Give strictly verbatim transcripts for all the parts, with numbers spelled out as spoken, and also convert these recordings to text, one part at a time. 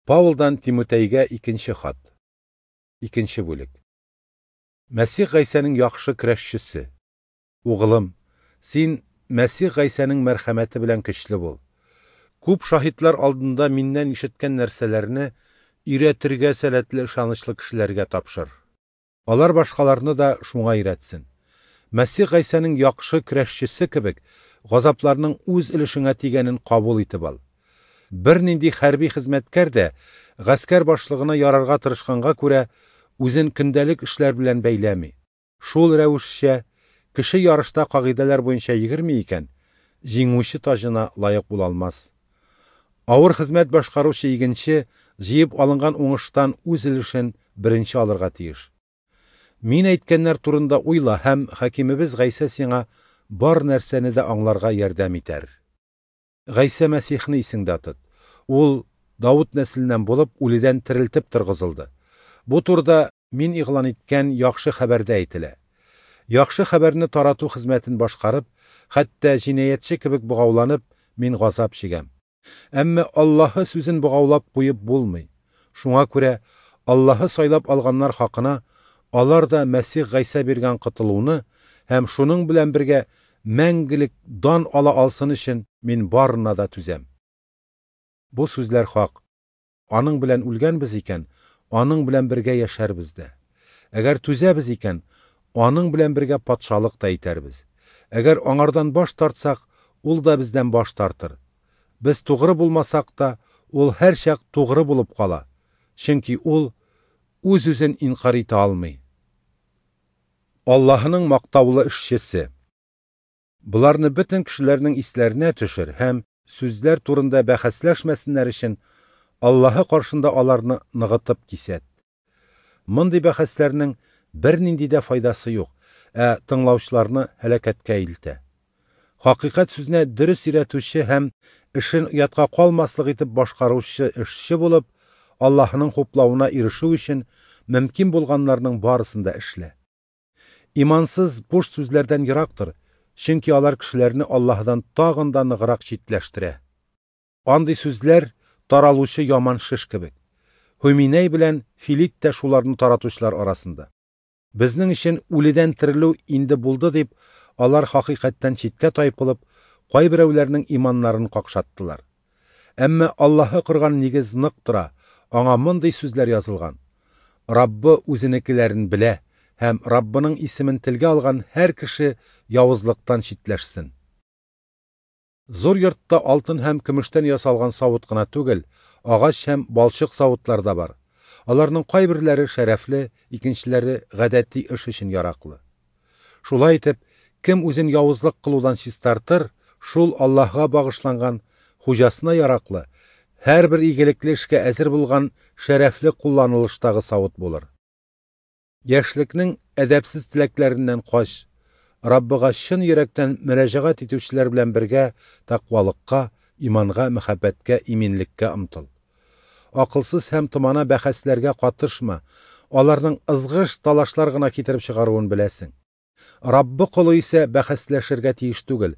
Паулдан Тимотәйгә икенче хат. Икенче бүлек. Мәсих Гайсәнең яхшы көрәшчесе. Угылым, син Мәсих Гайсәнең мәрхәмәте белән көчле бул. Күп шаһитлар алдында миннән ишеткән нәрсәләрне өйрәтергә сәләтле ышанычлы кешеләргә тапшыр. Алар башкаларны да шуңа өйрәтсен. Мәсих Гайсәнең яхшы көрәшчесе кебек, газапларның үз өлешеңә тигәнен кабул итеп ал. Бернинди хәрби хезмәткәр дә гаскәр башлыгына ярарга тырышканга күрә үзен көндәлек эшләр белән бәйләми. Шул рәвешчә кеше ярышта кагыйдәләр буенча йөгерми икән, җиңүче таҗына лаек була алмас. Авыр хезмәт башкаручы игенче җыеп алынган уңыштан үз өлешен беренче алырга тиеш. Мин әйткәннәр турында уйла һәм хакимебез Гайсә сиңа бар нәрсәне дә аңларга ярдәм итәр. Гайсә Мәсихне исеңдә тот. Ул Давыт нәселеннән булып, үледән терелтеп торгызылды. Бу турыда мин игълан иткән яхшы хәбәрдә әйтелә. Яхшы хәбәрне тарату хезмәтен башкарып, хәтта җинаятьче кебек богауланып, мин газап чигәм. Әмма Аллаһы сүзен богаулап куеп булмый. Шуңа күрә Аллаһы сайлап алганнар хакына алар да Мәсих Гайсә биргән котылуны һәм шуның белән бергә мәңгелек дан ала алсын өчен мин барына да түзәм. Бу сүзләр хак. Аның белән үлгәнбез икән, аның белән бергә яшәрбез дә. Әгәр түзәбез икән, аның белән бергә патшалык та итәрбез. Әгәр аңардан баш тартсак, ул да бездән баш тартыр. Без тугры булмасак та, ул һәрчак тугры булып кала. Чөнки ул үз-үзен инкар итә алмый. Аллаһының мактаулы эшчесе. Боларны бөтен кешеләрнең исләренә төшер һәм сүзләр турында бәхәсләшмәсеннәр өчен Аллаһы каршында аларны ныгытып кисәт. Мондый бәхәсләрнең бернинди дә файдасы юк, ә тыңлаучыларны һәлакәткә илтә. Хакыйкать сүзенә дөрес өйрәтүче һәм эшен оятка калмаслык итеп башкаручы эшче булып, Аллаһының хуплавына ирешү өчен мөмкин булганнарның барысын да эшлә. Имансыз буш сүзләрдән ерак тор, чөнки алар кешеләрне Аллаһыдан тагын да ныграк читләштерә. Андый сүзләр таралучы яман шеш кебек. Һүминәй белән Филит тә шуларны таратучылар арасында. Безнең өчен үледән терелү инде булды дип, алар хакыйкатьтән читкә тайпылып, кайберәүләрнең иманнарын какшаттылар. Әмма Аллаһы корган нигез нык тора, аңа мондый сүзләр язылган: Раббы үзенекеләрен белә һәм Раббының исемен телгә алган һәр кеше явызлыктан читләшсен. Зур йортта алтын һәм көмештән ясалган савыт кына түгел, агач һәм балчык савытлар да бар. Аларның кайберләре шәрәфле, икенчеләре гадәти эш өчен яраклы. Шулай итеп, кем үзен явызлык кылудан чистартыр, шул Аллаһга багышланган, хуҗасына яраклы, һәрбер игелекле эшкә әзер булган шәрәфле кулланылыштагы савыт булыр. Яшьлекнең әдәпсез теләкләреннән кач, Раббыга чын йөрәктән мөрәҗәгать итүчеләр белән бергә тәкъвалыкка, иманга, мәхәббәткә, иминлеккә омтыл. Акылсыз һәм томана бәхәсләргә катышма, аларның ызгыш талашлар гына китереп чыгаруын беләсең. Раббы колы исә бәхәсләшергә тиеш түгел,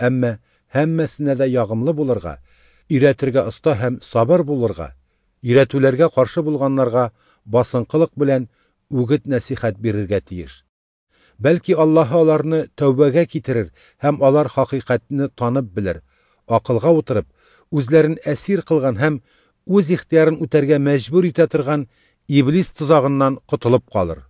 әмма һәммәсенә дә ягымлы булырга, өйрәтергә оста һәм сабыр булырга, өйрәтүләргә каршы булганнарга басынкылык белән үгет нәсихәт бирергә тиеш. Бәлки Аллаһы аларны тәүбәгә китерер һәм алар хакыйкатьне танып белер, акылга утырып, үзләрен әсир кылган һәм үз ихтыярын үтәргә мәҗбүр итә торган иблис тозагыннан котылып калыр.